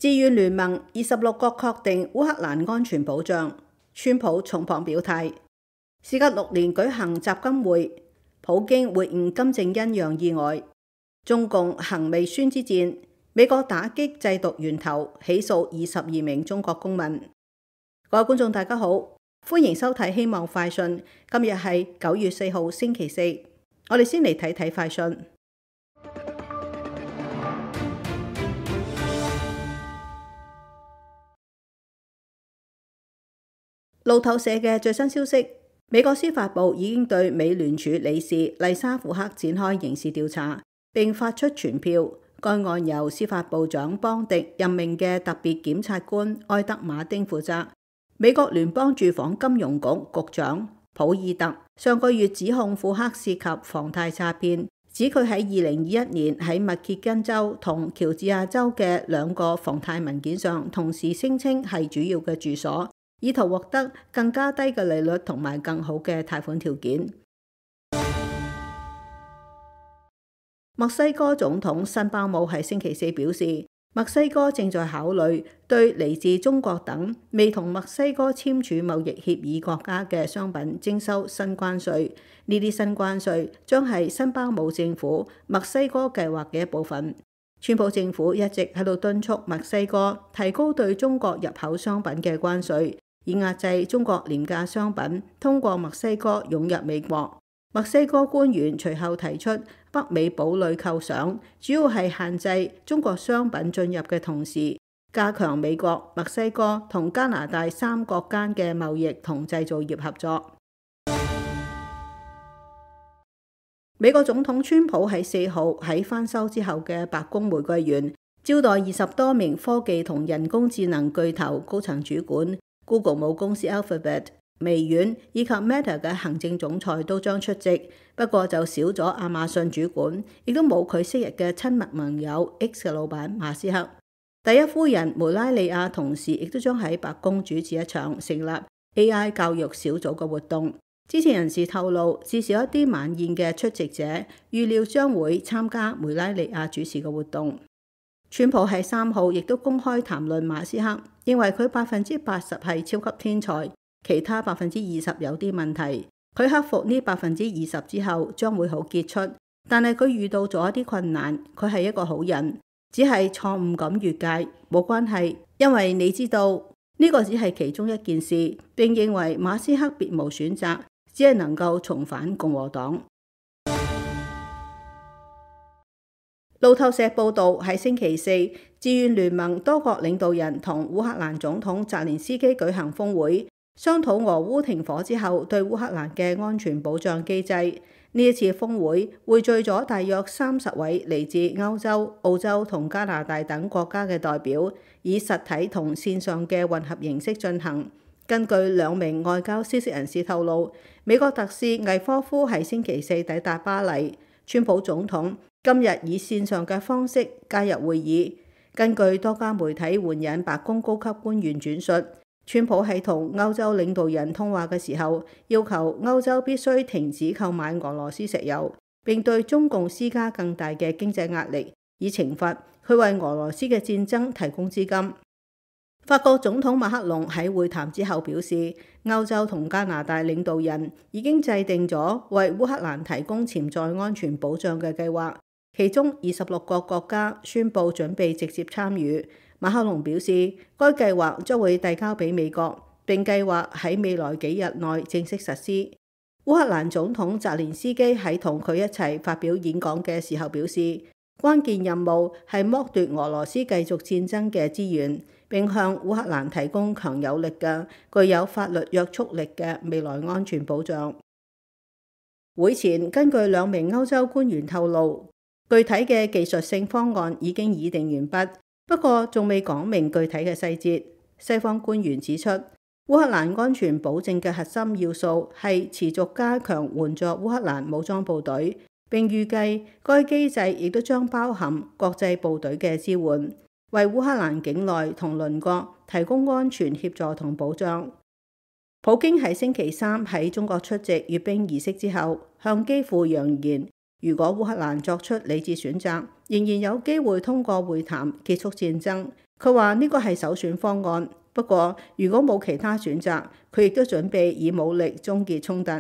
自願聯盟26國確定烏克蘭安全保障，川普重磅表態。事隔6年舉行習金會，普京會晤金正恩讓意外。中共行微宣之戰，美國打擊製毒源頭，起訴22名中國公民。各位觀眾大家好，歡迎收睇希望快訊。今日係9月4號星期四，我哋先嚟睇睇快訊。路透社嘅最新消息，美國司法部已經對美聯儲理事麗莎福克展開刑事調查，並發出傳票。該案由司法部長邦迪任命嘅特別檢察官埃德馬丁負責。美國聯邦住房金融局局長普爾特上個月指控福克涉及房貸詐騙，指佢喺2021年喺密歇根州同喬治亞州嘅2個房貸文件上同時聲稱係主要嘅住所，以圖獲得更加低嘅利率同埋更好嘅貸款條件。墨西哥總統辛巴姆喺星期四表示，墨西哥正在考慮對嚟自中國等未同墨西哥簽署貿易協議國家嘅商品徵收新關稅。呢啲新關稅將係辛巴姆政府墨西哥計劃嘅一部分。川普政府一直喺度敦促墨西哥提高對中國入口商品嘅關稅，以壓制中國廉價商品通過墨西哥湧入美國。墨西哥官員隨後提出北美堡壘構想，主要係限制中國商品進入嘅同時，加強美國、墨西哥同加拿大3國間嘅貿易同製造業合作。美國總統川普喺4號喺翻修之後嘅白宮玫瑰園招待20多名科技同人工智能巨頭高層主管。Google 母公司 Alphabet、微軟以及 Meta 嘅行政總裁都將出席，不過就少咗亞馬遜主管，亦都冇佢昔日嘅親密盟友 X 嘅老闆馬斯克。第一夫人梅拉利亞同時亦都將喺白宮主持一場成立 AI 教育小組嘅活動。知情人士透露，至少一啲晚宴嘅出席者預料將會參加梅拉利亞主持嘅活動。川普喺3號亦都公開談論馬斯克，認為佢80%係超級天才，其他20%有啲問題。佢克服呢20%之後將會好傑出，但係佢遇到咗一啲困難。佢係一個好人，只係錯誤咁越界，冇關係，因為你知道呢個只係其中一件事。並認為馬斯克別無選擇，只係能夠重返共和黨。路透社報道，喺星期四，自願聯盟多國領導人同烏克蘭總統澤連斯基舉行峰會，商討俄烏停火之後對烏克蘭嘅安全保障機制。呢一次峰會匯聚咗大約30位嚟自歐洲、澳洲同加拿大等國家嘅代表，以實體同線上嘅混合形式進行。根據2名外交消息人士透露，美國特使魏科夫喺星期四抵達巴黎，川普總統今日以線上嘅方式加入會議。根據多家媒體援引白宮高級官員轉述，川普喺同歐洲領導人通話嘅時候，要求歐洲必須停止購買俄羅斯石油，並對中共施加更大嘅經濟壓力，以懲罰佢為俄羅斯嘅戰爭提供資金。法國總統馬克龍喺會談之後表示，歐洲同加拿大領導人已經制定咗為烏克蘭提供潛在安全保障嘅計劃，其中26個國家宣布準備直接參與。馬克龍表示，該計劃將會遞交俾美國，並計劃喺未來幾日內正式實施。烏克蘭總統澤連斯基喺同佢一齊發表演講嘅時候表示，關鍵任務係剝奪俄羅斯繼續戰爭嘅資源，並向烏克蘭提供強有力嘅、具有法律約束力嘅未來安全保障。會前，根據2名歐洲官員透露，具體嘅技術性方案已經擬定完畢，不過仲未講明具體嘅細節。西方官員指出，烏克蘭安全保證嘅核心要素係持續加強援助烏克蘭武裝部隊，並預計該機制亦都將包含國際部隊嘅支援，為烏克蘭境內同鄰國提供安全協助同保障。普京喺星期3喺中國出席閱兵儀式之後，向基輔揚言，如果烏克蘭作出理智選擇，仍然有機會通過會談結束戰爭。佢話呢個係首選方案，不過如果冇其他選擇，佢亦都準備以武力終結衝突。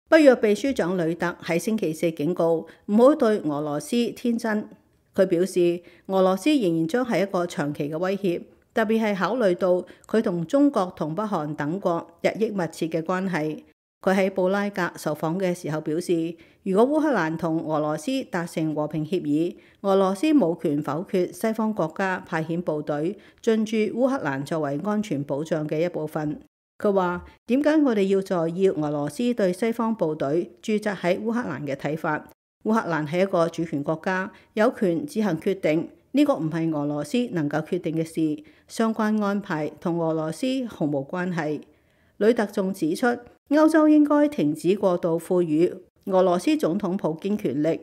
北約秘書長呂特喺星期四警告唔好對俄羅斯天真。佢表示，俄羅斯仍然將係一個長期嘅威脅，特別係考慮到佢同中國同北韓等國日益密切嘅關係。佢喺布拉格受訪嘅時候表示，如果烏克蘭同俄羅斯達成和平協議，俄羅斯冇權否決西方國家派遣部隊進駐烏克蘭作為安全保障嘅一部分。佢話：點解我哋要在意俄羅斯對西方部隊駐紮喺烏克蘭嘅睇法？烏克蘭係一個主權國家，有權自行決定，呢個唔係俄羅斯能夠決定嘅事，相關安排同俄羅斯毫無關係。呂特仲指出，歐洲應該停止過度賦予俄羅斯總統普京權力。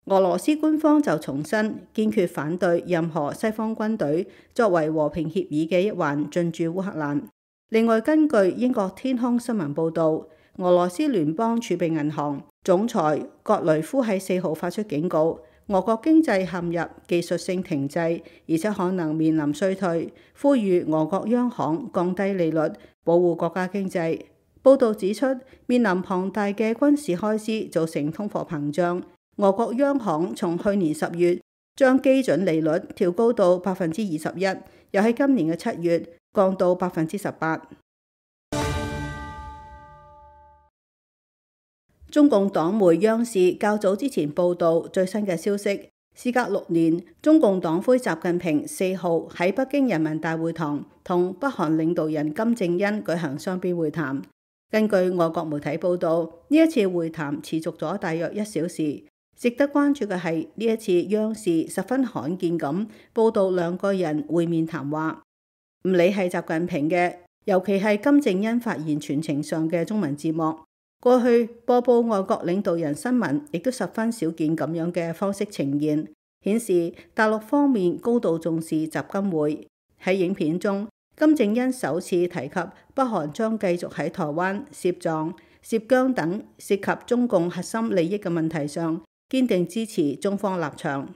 俄羅斯官方就重申堅決反對任何西方軍隊作為和平協議嘅一環進駐烏克蘭。另外，根據英國天空新聞報導，俄羅斯聯邦儲備銀行總裁格雷夫喺4號發出警告，俄國經濟陷入技術性停滯，而且可能面臨衰退，呼籲俄國央行降低利率，保護國家經濟。報導指出，面臨龐大嘅軍事開支造成通貨膨脹，俄國央行從去年10月將基準利率調高到21%，又喺今年嘅7月降到18%。中共黨媒央視較早之前報導最新嘅消息，事隔6年，中共黨魁習近平4號喺北京人民大會堂同北韓領導人金正恩舉行雙邊會談。根據外國媒體報導，呢一次會談持續咗大約1小時。值得關注嘅係，呢一次央視十分罕見咁報導兩個人會面談話，唔理係習近平嘅，尤其係金正恩發言全程上嘅中文字幕。過去播報外國領導人新聞，亦都十分少見咁樣嘅方式呈現，顯示大陸方面高度重視習金會。喺影片中，金正恩首次提及北韓將繼續喺台灣、涉藏、涉疆等涉及中共核心利益嘅問題上堅定支持中方立場。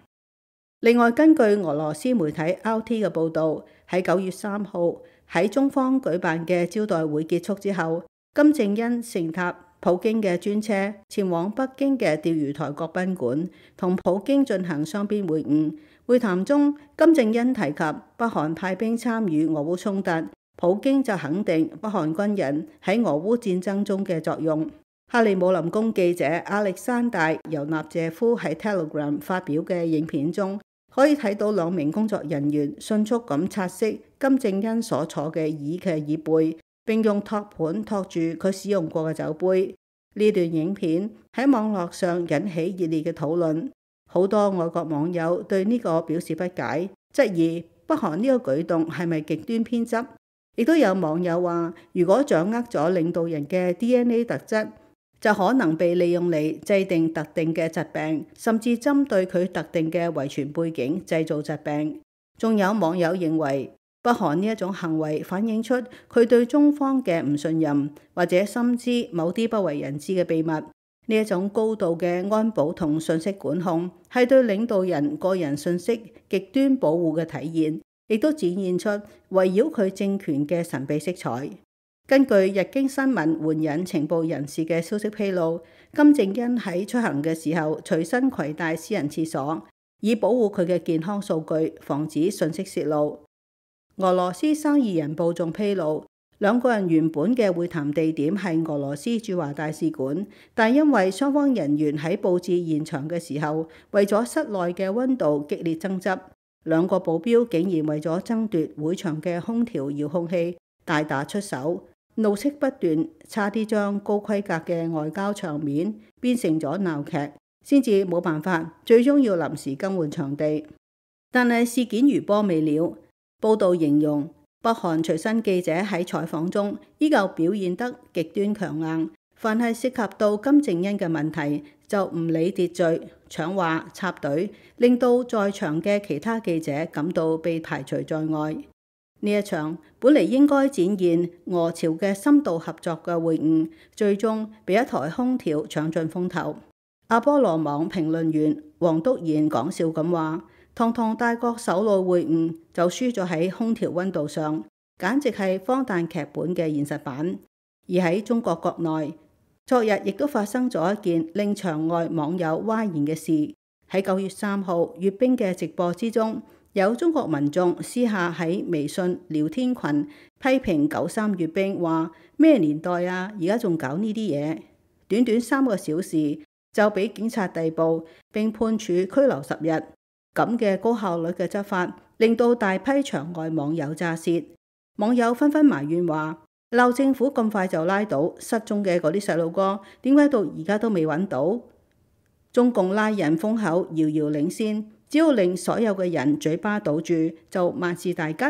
另外，根據俄羅斯媒體 RT 嘅報導，喺9月3號喺中方舉辦嘅招待會結束之後，金正恩乘搭普京嘅專車前往北京嘅釣魚台國賓館，同普京進行雙邊會晤。會談中，金正恩提及北韓派兵參與俄烏衝突，普京就肯定北韓軍人喺俄烏戰爭中嘅作用。克里姆林宮記者亞歷山大·尤納謝夫喺 Telegram 發表嘅影片中，可以睇到2名工作人員迅速咁擦拭金正恩所坐嘅椅嘅椅背，並用托盤托住佢使用過嘅酒杯。呢段影片喺網絡上引起熱烈嘅討論。好多外國網友對呢個表示不解，質疑北韓呢個舉動係咪極端偏執？亦都有網友話，如果掌握咗領導人嘅 DNA 特質，就可能被利用嚟制定特定嘅疾病，甚至針對佢特定嘅遺傳背景製造疾病。仲有網友認為，北韓呢一種行為反映出佢對中方嘅唔信任，或者深知某啲不為人知嘅秘密。呢一種高度嘅安保同信息管控，係對領導人個人信息極端保護嘅體現，亦都展現出圍繞佢政權嘅神秘色彩。根據日經新聞援引情報人士嘅消息披露，金正恩喺出行嘅時候隨身攜帶私人廁所，以保護佢嘅健康數據，防止信息洩露。俄羅斯生意人報仲披露，兩個人原本嘅會談地點係俄羅斯駐華大使館，但因為雙方人員喺佈置現場嘅時候，為咗室內嘅溫度激烈爭執，兩個保鏢竟然為咗爭奪會場嘅空調遙控器大打出手，怒斥不斷，差啲將高規格嘅外交場面變成咗鬧劇，先至冇辦法，最終要臨時更換場地。但係事件餘波未了，報道形容北韓隨身記者喺採訪中依舊表現得極端強硬，凡係涉及到金正恩嘅問題就唔理秩序，搶話插隊，令到在場嘅其他記者感到被排除在外。呢一場本嚟應該展現俄朝嘅深度合作嘅會晤，最終被一台空調搶盡風頭。阿波羅網評論員黃篤賢講笑咁話：堂堂大國首腦會晤就輸咗喺空調溫度上，簡直係荒誕劇本嘅現實版。而喺中國國內，昨日亦都發生咗一件令場外網友譁然嘅事。喺9月3號閱兵嘅直播之中，有中國民眾私下喺微信聊天群批評93閱兵，話咩年代啊，而家仲搞呢啲嘢。短短3個小時就俾警察逮捕並判處拘留10日，咁嘅高效率嘅執法，令到大批場外網友咋舌。網友紛紛埋怨話：鬧政府咁快就拉到失蹤嘅嗰啲細路哥，點解到而家都未揾到？中共拉人封口遙遙領先，只要令所有嘅人嘴巴堵住，就萬事大吉。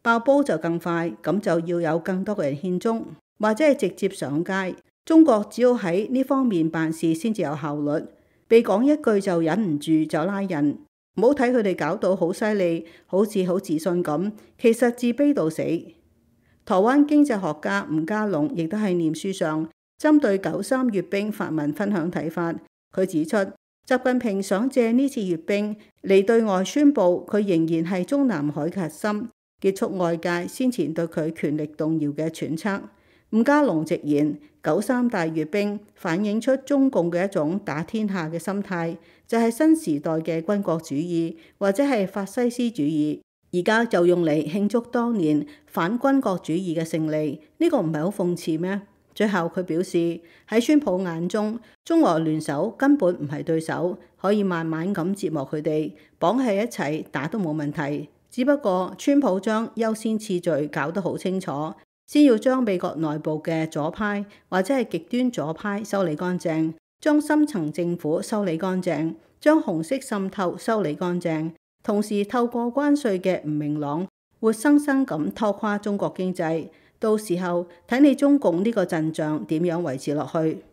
爆煲就更快，咁就要有更多嘅人獻忠，或者係直接上街。中國只要喺呢方面辦事先至有效率，被講一句就忍唔住就拉人。唔好睇佢哋搞到好犀利，好似好自信咁，其實自卑到死。台灣經濟學家吳家龍亦都喺臉書上針對93閱兵發文分享睇法。佢指出，習近平想借呢次閱兵嚟對外宣佈佢仍然係中南海嘅核心，結束外界先前對佢權力動搖嘅揣測。吳家龍直言，93大閱兵反映出中共嘅一種打天下嘅心態，就係新時代嘅軍國主義或者係法西斯主義，而家就用嚟慶祝當年反軍國主義嘅勝利。呢個唔係好諷刺咩？最後佢表示，喺川普眼中，中俄聯手根本唔係對手，可以慢慢咁折磨佢哋，綁喺一齊打都冇問題。只不過川普將優先次序搞得好清楚，先要將美國內部嘅左派或者係極端左派修理乾淨，將深層政府修理乾淨，將紅色滲透修理乾淨，同時透過關稅嘅唔明朗，活生生咁拖垮中國經濟。到時候睇你中共呢個陣仗點樣維持落去。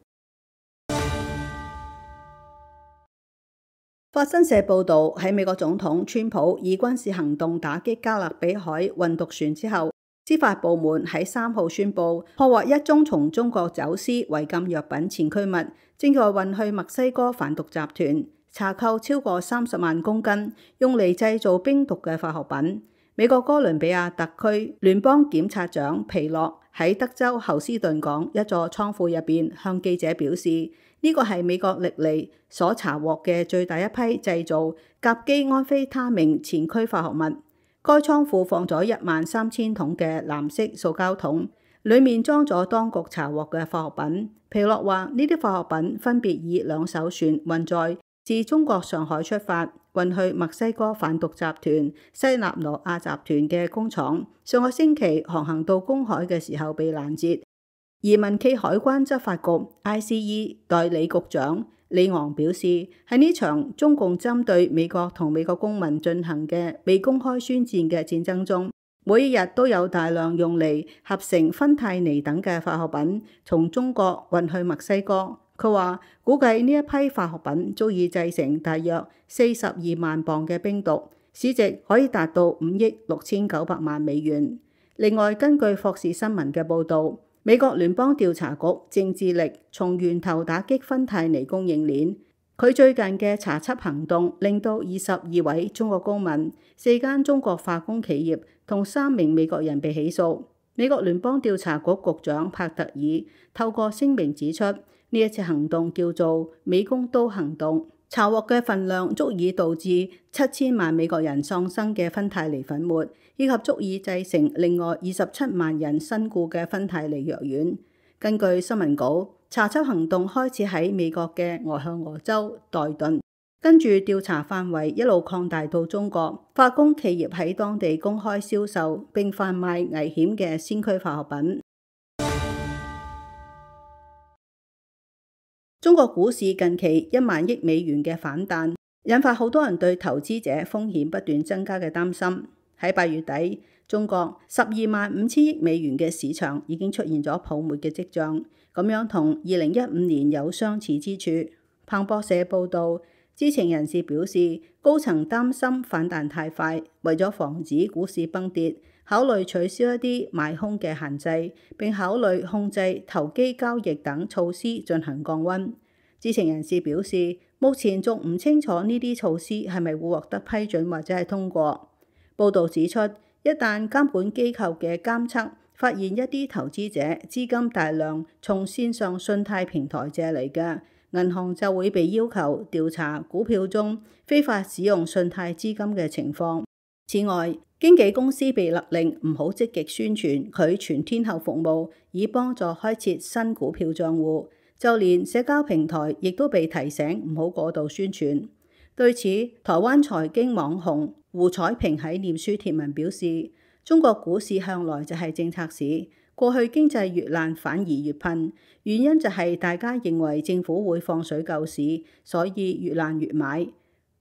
法新社報導，喺美國總統川普以軍事行動打擊加勒比海運毒船之後，司法部門喺3號宣布破獲一宗從中國走私違禁藥品前驅物，正在運去墨西哥販毒集團，查扣超過30萬公斤用嚟製造冰毒嘅化學品。美國哥倫比亞特區聯邦檢察長皮洛喺德州侯斯頓港一座倉庫入邊向記者表示，呢個係美國歷嚟所查獲嘅最大一批製造甲基安非他命前驅化學物。該倉庫放咗13000桶嘅藍色塑膠桶，裡面裝咗當局查獲嘅化學品。皮洛話：呢啲化學品分別以2艘船運載，自中國上海出發，運去墨西哥販毒集團西納羅亞集團嘅工廠。上個星期航行到公海嘅時候被攔截。移民暨海關執法局 ICE 代理局長李昂表示，喺呢場中共針對美國同美國公民進行嘅未公開宣戰嘅戰爭中，每一日都有大量用嚟合成芬太尼等嘅化學品從中國運去墨西哥。佢話估計呢一批化學品足以製成大約42萬磅嘅冰毒，市值可以達到5億6900萬美元。另外，根據霍士新聞嘅報導，美國聯邦調查局正致力從源頭打擊芬太尼供應鏈。佢最近嘅查緝行動令到22位中國公民、4間中國化工企業同3名美國人被起訴。美國聯邦調查局局長帕特爾透過聲明指出，呢一次行動叫做美工刀行動，查獲嘅份量足以導致7000萬美國人喪生嘅芬太尼粉末，以及足以製成另外27萬人身故嘅芬太尼藥丸。根據新聞稿，查緝行動開始喺美國嘅俄亥俄州代頓，跟住調查範圍一路擴大到中國，化工企業喺當地公開銷售並販賣危險嘅先驅化學品。中國股市近期1萬億美元嘅反彈，引發好多人對投資者風險不斷增加嘅擔心。喺8月底，中國12萬5千億美元嘅市場已經出現咗泡沫嘅跡象，咁樣同2015年有相似之處。彭博社報導，知情人士表示，高層擔心反彈太快，為咗防止股市崩跌，考慮取消一啲買空嘅限制，並考慮控制投機交易等措施進行降溫。知情人士表示，目前仲唔清楚呢啲措施係咪會獲得批准或者係通過。報導指出，一旦監管機構嘅監測發現一啲投資者資金大量從線上信貸平台借嚟嘅，銀行就會被要求調查股票中非法使用信貸資金嘅情況。此外，經紀公司被勒令唔好積極宣傳佢全天候服務，以幫助開設新股票賬戶。就連社交平台亦都被提醒唔好過度宣傳。對此，台灣財經網紅胡彩萍喺臉書貼文表示，中國股市向來就係政策市，過去經濟越爛反而越噴，原因就係大家認為政府會放水救市，所以越爛越買。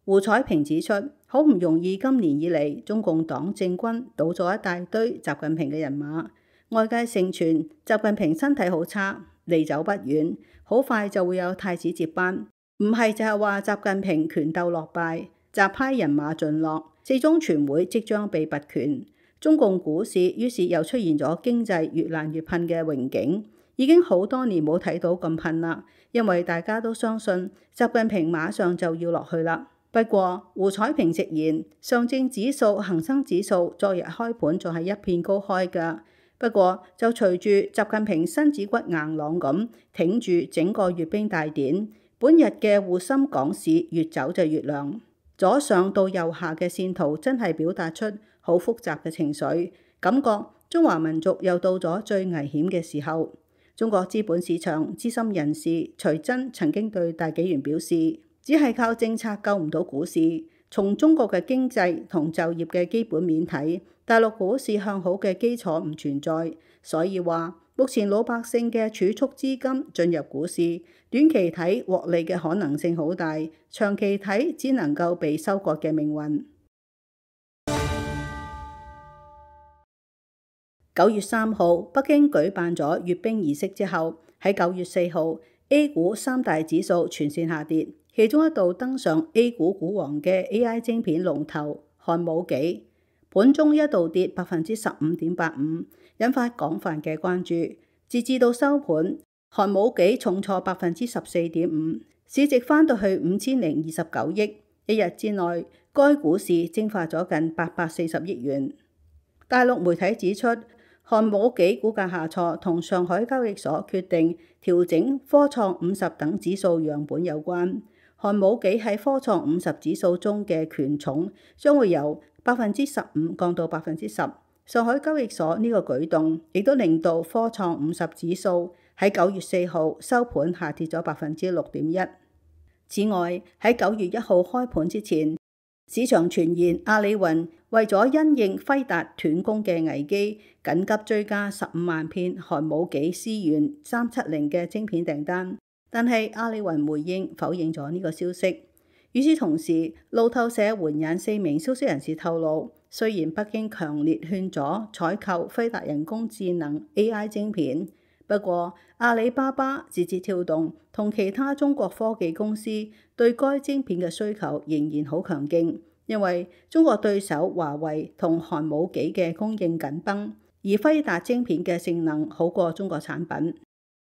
胡彩萍指出，好唔容易今年以嚟，中共黨政軍倒咗一大堆習近平嘅人馬，外界盛傳習近平身體好差，離走不遠，好快就會有太子接班。唔係就係話習近平權鬥落敗，習派人馬盡落，四中全會即將被拔權。中共股市於是又出現咗經濟越爛越噴嘅榮景，已經好多年冇睇到咁噴啦，因為大家都相信習近平馬上就要落去啦。不過胡彩萍直言，上證指數、恒生指數昨日開盤仲係一片高開㗎。不過就隨住習近平身子骨硬朗咁挺住整個閱兵大典，本日嘅滬深港市越走就越亮。左上到右下嘅線圖真係表達出好複雜嘅情緒，感覺中華民族又到咗最危險嘅時候。中國資本市場資深人士徐真曾經對大紀元表示，只係靠政策救唔到股市。從中國嘅經濟同就業嘅基本面睇，大陸股市向好嘅基礎唔存在，所以話目前老百姓嘅儲蓄資金進入股市，短期睇獲利嘅可能性好大，長期睇只能夠被收割嘅命運。9月3號，北京舉辦咗閱兵儀式之後，喺9月4號 A 股三大指數全線下跌。其中一度登上 A 股股王嘅 AI 晶片龍頭漢武紀，盤中一度跌15.85%，引發廣泛嘅關注。截至到收盤，漢武紀重挫14.5%，市值翻到去5029億。一日之內，該股市蒸發咗近840億元。大陸媒體指出，漢武紀股價下挫同上海交易所決定調整科創50等指數樣本有關。漢武紀喺科創50指數中嘅權重將會由15%降到10%。上海交易所呢個舉動亦都令到科創50指數喺9月4號收盤下跌咗6.1%。此外，喺9月1號開盤之前，市場傳言阿里雲為咗因應輝達斷供嘅危機，緊急追加15萬片漢武紀思源370嘅晶片訂單。但係阿里雲回應否認咗呢個消息。與此同時，路透社援引4名消息人士透露，雖然北京強烈勸阻採購輝達人工智能 AI 晶片，不過阿里巴巴、字節跳動同其他中國科技公司對該晶片嘅需求仍然好強勁，因為中國對手華為同漢武紀嘅供應緊繃，而輝達晶片嘅性能好過中國產品。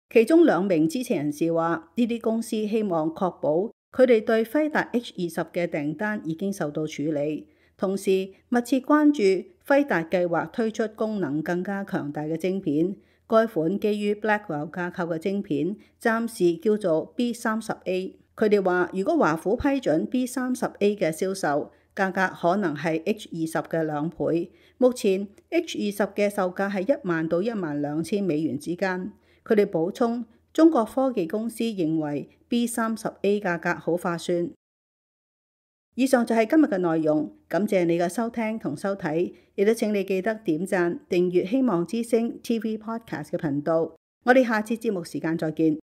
其中2名知情人士話，呢啲公司希望確保佢哋對輝達 H20嘅訂單已經受到處理，同時密切關注輝達計劃推出功能更加強大嘅晶片。該款基於 Blackwell 架構嘅晶片暫時叫做 B30A。佢哋話，如果華府批准 B30A 嘅銷售，價格可能係 H20嘅2倍。目前 H20嘅售價係1萬到12000美元之間。佢哋補充，中國科技公司認為 B30A 價格好划算。以上就係今日嘅內容，感謝你嘅收聽同收睇，亦都請你記得點讚、訂閱希望之聲 TV Podcast 嘅頻道。我哋下次節目時間再見。